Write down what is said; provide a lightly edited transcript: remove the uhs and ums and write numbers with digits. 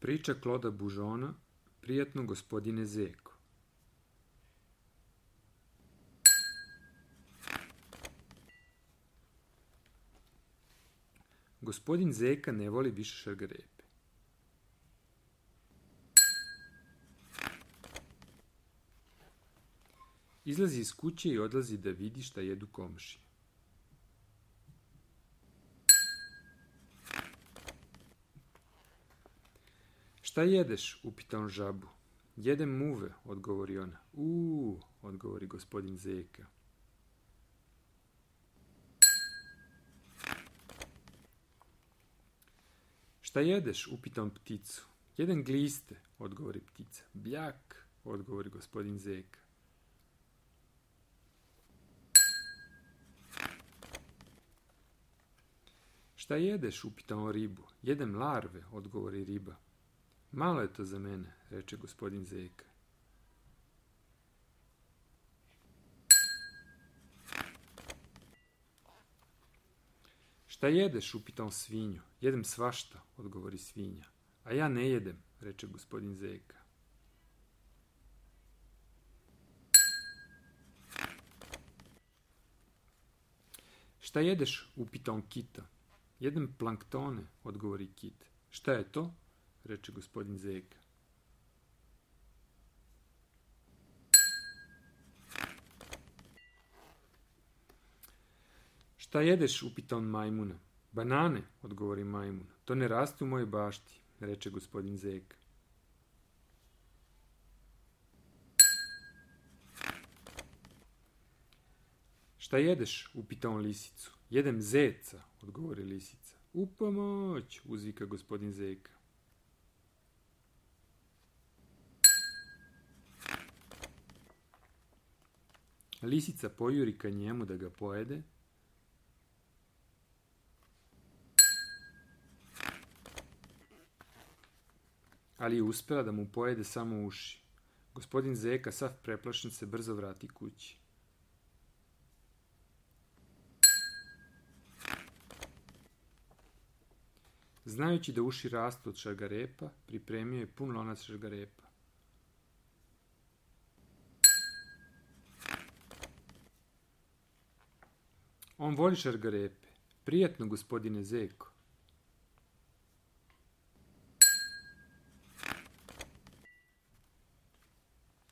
Priča Kloda Bužona, prijatno gospodine Zeko. Gospodin Zeka ne voli više šargarepe. Izlazi iz kuće i odlazi da vidi šta jedu komšije. Šta jedeš? Upita on žabu. Jedem muve, odgovori ona. Odgovori gospodin Zeka. Šta jedeš? Upita on pticu. Jedem gliste, odgovori ptica. Bljak, odgovori gospodin Zeka. Šta jedeš? Upita on ribu. Jedem larve, odgovori riba. Malo je to za mene, reče gospodin Zeka. Šta jedeš? Upita on svinju. Jedem svašta, odgovori svinja. A ja ne jedem, reče gospodin Zeka. Šta jedeš? Upita on kita. Jedem planktone, odgovori kit. Šta je to? Reče gospodin Zeka. Šta jedeš? Upita on majmuna. Banane, odgovori majmun. To ne raste u mojoj bašti, reče gospodin Zeka. Šta jedeš? Upita on lisicu. Jedem zeca, odgovori lisica. U pomoć, uzvika gospodin Zeka. Lisica pojuri ka njemu da ga pojede, ali je uspela da mu pojede samo uši. Gospodin Zeka, sav preplašen, se brzo vrati kući. Znajući da uši rastu od šargarepa, pripremio je pun lonac šargarepa. On voli šargarepe. Prijatno, gospodine Zeko,